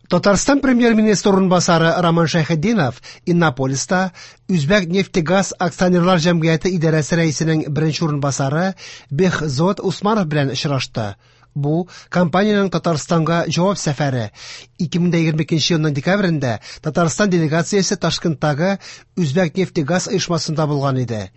Татарстан премьер-министры урынбасары Роман Шәйхетдинов Иннополиста Үзбәкнефтегаз акционерлар җәмгыяте идарәсе рәисенең беренче урынбасары Бехзод Усманов белән очрашты. Бу компаниянең Татарстанга җавап сәфәре. 2022 елның декабрендә Татарстан делегациясе Ташкенттагы Үзбәкнефтегаз оешмасында булган иде.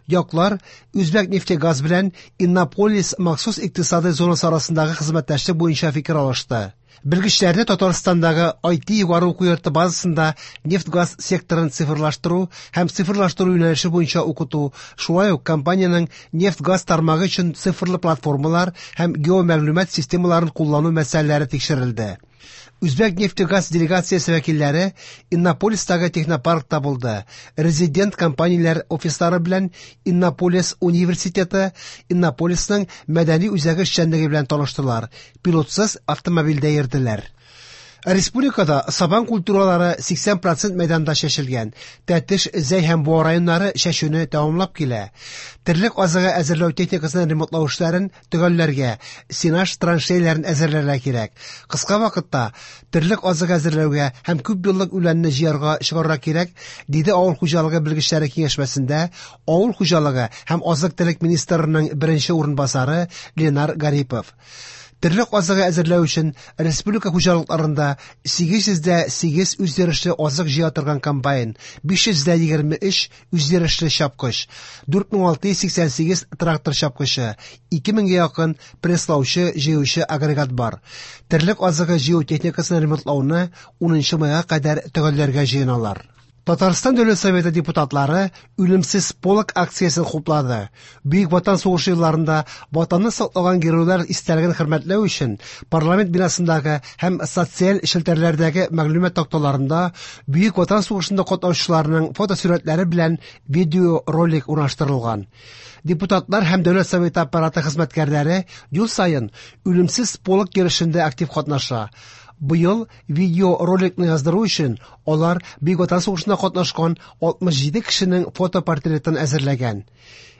Яклар Үзбәкнефтегаз белән Иннополис махсус икътисадый зонасы арасындагы хезмәттәшлек буенча фикер алышты. Белгечләрне Татарстандагы IT югары уку йорты базасында нефть-газ секторын цифрлаштыру һәм цифрлаштыру юнәлеше буенча укыту, шулай ук компаниянең нефть-газ тармагы өчен цифрлы платформалар һәм геомәгълүмат системаларын куллану мәсьәләләре тикшерелде. Үзбәкнефтегаз делегациясе вәкилләре Иннополистагы технопаркта булды. Резидент компанияләр офислары белән Иннополис университеты, Иннополисның мәдәни үзәге эшчәнлеге белән таныштылар. Пилотсыз автомобильдә йөрделәр. Республикада сабан культуралары 80% мәйданда чәчелгән. Тәтеш, Зәй һәм Буа районнары чәчүне тәмамлап килә. Терлек азыгы әзерләү техникасын ремонтлау эшләрен төгәлләргә, сенаж траншеяләрен әзерләргә кирәк. Кыска вакытта терлек азыгы әзерләүгә һәм күпьеллык үләнне җыярга чыгарырга кирәк, диде авыл хуҗалыгы белгечләре киңәшмәсендә авыл хуҗалыгы һәм азык-төлек министрының беренче урынбасары Ленар Гарипов. Терлек азыгы әзерләү өчен республика хуҗалыкларында 808 үзйөрешле азык җыя торган комбайн, 523 үзйөрешле чапкыч, 4688 трактор чапкычы, 2000 гә якын пресслаучы җыючы агрегат бар. Терлек азыгы җыю техникасын ремонтлауны 10 майга кадәр төгәлләргә җыеналар. Татарстан Дәүләт Советы депутатлары Үлемсез полк акциясен хуплады. Бөек Ватан сугышы елларында ватанны саклаган геройлар истәлеген хөрмәтләү өчен парламент бинасындагы һәм социаль челтәрләрдәге мәгълүмат такталарында Бөек Ватан сугышында катнашучыларның фотосурәтләре белән видеоролик урнаштырылган. Депутатлар һәм Дәүләт Советы аппараты хезмәткәрләре ел саен Үлемсез полк йөрешендә актив катнаша. Быел видеороликны яздыру өчен алар Бөек Ватан сугышында катнашкан 67 кешенең фотопортретын әзерләгән.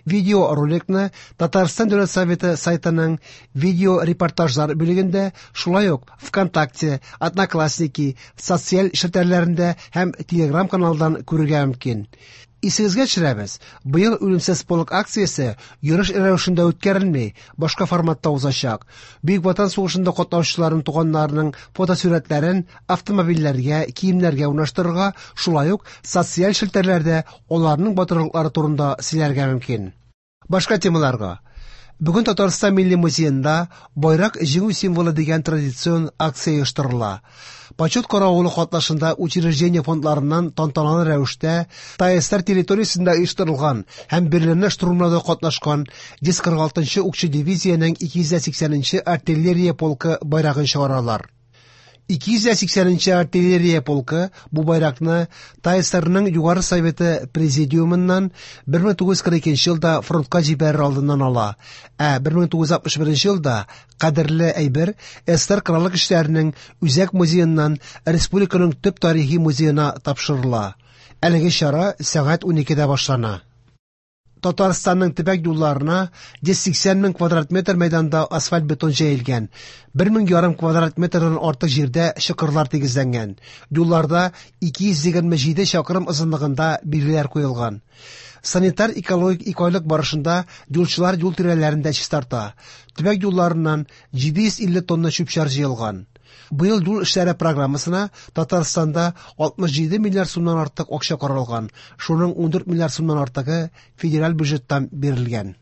Видеороликны Татарстан Дәүләт Советы сайтының видеорепортажлар бүлегендә, шулай ук ВКонтакте, Одноклассники, социаль челтәрләрендә һәм Телеграм каналдан күрергә мөмкин. Исегезгә төшерәбез, быел Үлемсез полк акциясе йөреш рәвешендә үткәрелми, башка форматта узачак. Бөек Ватан сугышында катнашучыларның туганнарының фотосурәтләрен автомобильләргә, киемнәргә урнаштырырга, шулай ук социаль челтәрләрдә аларның батырлыклары турында сөйләргә мөмкин. Башка темаларга. Бүген Татарстан Милли музеенда Байрак җиңү символы дигән традицион акция оештырыла. Почет каравылы катнашында учреждение фондларыннан тантаналы рәвештә ТАССР территориясендә оештырылган һәм Берлинны штурмлауда катнашкан 146 укчы дивизиянең 280 артиллерия полкы байрагын чыгаралар. 280 артиллерия полкы бу байракны ТАССРның Югары Советы президиумыннан 1942 елда фронтка җибәрер алдыннан ала, ә 1961 елда кадерле әйбер СССР Кораллы Көчләренең Үзәк музееннан республиканың төп тарихи музеена тапшырыла. Әлеге чара сәгать 12-дә башлана. Татарстанның төбәк юлларына 180 мең квадрат метр мәйданда асфальт бетон җәелгән, 1,5 квадрат метрдан артык җирдә чокырлар тигезләнгән. Юлларда 227 чакрым озынлыгында билгеләр куелган. Санитар экологик икеайлык барышында юлчылар юл тирәләрен дә чистарта. Төбәк юлларыннан 750 тонна чүп-чар җыелган. Быел юл эшләре программасына Татарстанда 67 миллиард сумнан артык акча каралган. Шуның 14 миллиард сумнан артыгы федераль бюджеттан бирелгән.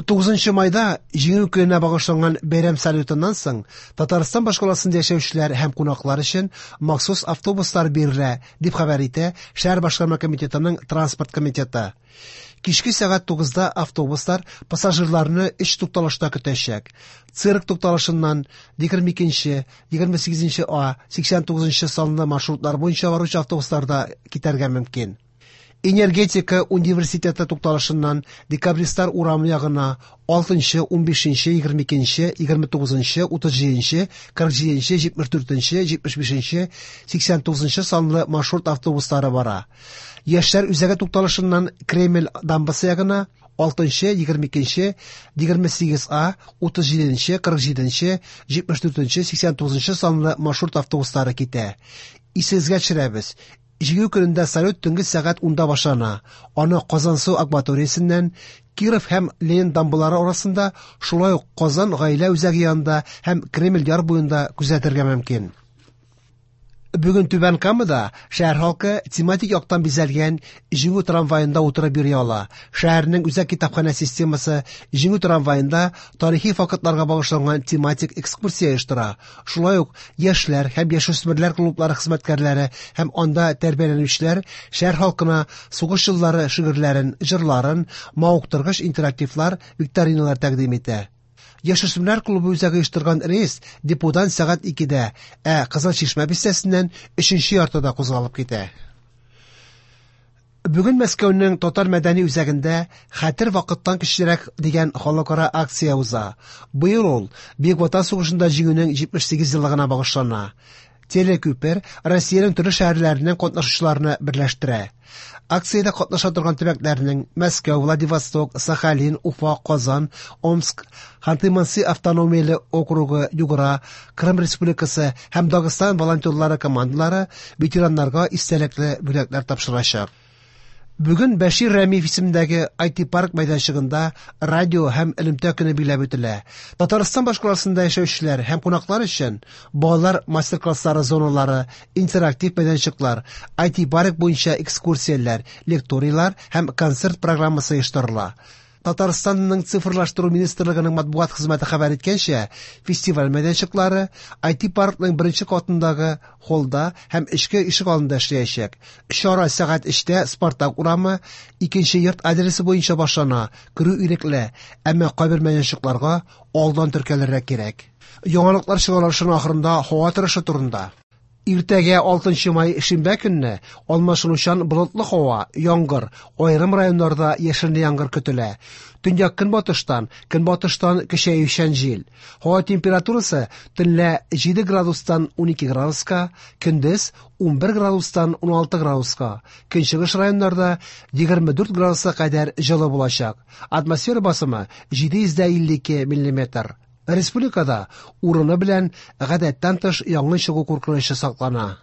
9 майда Җиңү көненә багышланган бәйрәм салютыннан соң Татарстан башкаласында яшәүчеләр һәм кунаклар өчен махсус автобуслар бирелә, дип хәбәр итә шәһәр башкарма комитетының транспорт комитеты. Кичке сәгать 9-да автобуслар пассажирларны 3 тукталышта көтәчәк. Цирк тукталышыннан 22-нче, 28-нче А, 89-нчы санлы маршрутлар буенча баручы автобусларда китәргә мөмкин. Энергетика университеты тукталышыннан Декабристлар урамы ягына 6-нчы, 15-нче, 22-нче, 29-нчы, 37-нче, 47-нче, 74-нче, 75-нче, 89-нчы санлы маршрут автобуслары бара. Яшьләр үзәге тукталышыннан Кремль дамбасы ягына 6-нчы, 22-нче, 28А, 37-нче, 47-нче, 74-нче, 89-нчы санлы маршрут автобуслары китә. Исегезгә төшерәбез, Җиңү көнендә салют төнге сәгать 10-да башлана. Аны Казансу акваториясеннән Киров һәм Ленин дамбалары арасында, шулай ук Казан гаилә үзәге янында һәм Кремль яр буенда күзәтергә мөмкин. Бүген Түбән Камада шәһәр халкы тематик яктан бизәлгән Җиңү трамваенда утырып йөри ала. Шәһәрнең үзәк китапханә системасы Җиңү трамваенда тарихи фактларга багышланган тематик экскурсия оештыра. Шулай ук яшьләр һәм яшүсмерләр клублары хезмәткәрләре һәм анда тәрбияләнүчеләр шәһәр халкына сугыш еллары шигырьләрен, җырларын, мавыктыргыч интерактивлар, викториналар тәкъдим итә. Яшүсмерләр клубы үзәге оештырган рейс деподан сәгать 2-дә, ә Кызыл Чишмә бистәсеннән 3-нче яртыда кузгалып китә. Бүген Мәскәүнең Татар мәдәни үзәгендә Хәтер вакыттан көчлерәк дигән халыкара акция уза. Быел ул Бөек Ватан сугышында җиңүнең 78 еллыгына багышлана. Телекүпер Россиянең төрле шәһәрләреннән катнашучыларны берләштерә. Акциядә катнаша торган төбәкләрнең Мәскәү, Владивосток, Сахалин, Уфа, Казан, Омск, Ханты-Манси автономияле округы, Югра, Крым Республикасы һәм Дагыстан волонтерлары командалары ветераннарга истәлекле бүләкләр тапшырачак. Бүген Бәшир Рәмиев исемендәге IT-парк мәйданчыгында радио һәм элемтә көне билгеләп үтелә. Татарстан башкаласында яшәүчеләр һәм кунаклар өчен балалар мастер-класслары зоналары, интерактив мәйданчыклар, IT-парк буенча экскурсияләр, лекторийлар һәм концерт программасы оештырыла. Татарстанның цифрлаштыру министрлыгының матбугат хезмәте хәбәр иткәнчә, фестиваль мәйданчыклары IT-паркның беренче катындагы холлда һәм эчке ишек алдында эшләячәк. Чара сәгать 3-тә Спартак урамы, икенче йорт адресы буенча башлана. Керү ирекле, әмма кайбер мәйданчыкларга алдан теркәлергә кирәк. Яңалыклар чыгарылышының ахырында һава торышы турында. Иртәгә 6 май шимбә көнне алмашынучан болытлы һава, яңгыр, аерым районнарда яшенле яңгыр көтелә. Төньяк көнбатыштан, көнбатыштан көчәючән җил. Һава температурасы төнлә 7 градустан 12 градуска, көндез 11 градустан 16 градуска. Көнчыгыш районнарда 24 градуска кадәр җылы булачак. Атмосфера басымы 752 миллиметр. Республикада урыны белән гадәттән тыш янгын чыгу куркынычы саклана.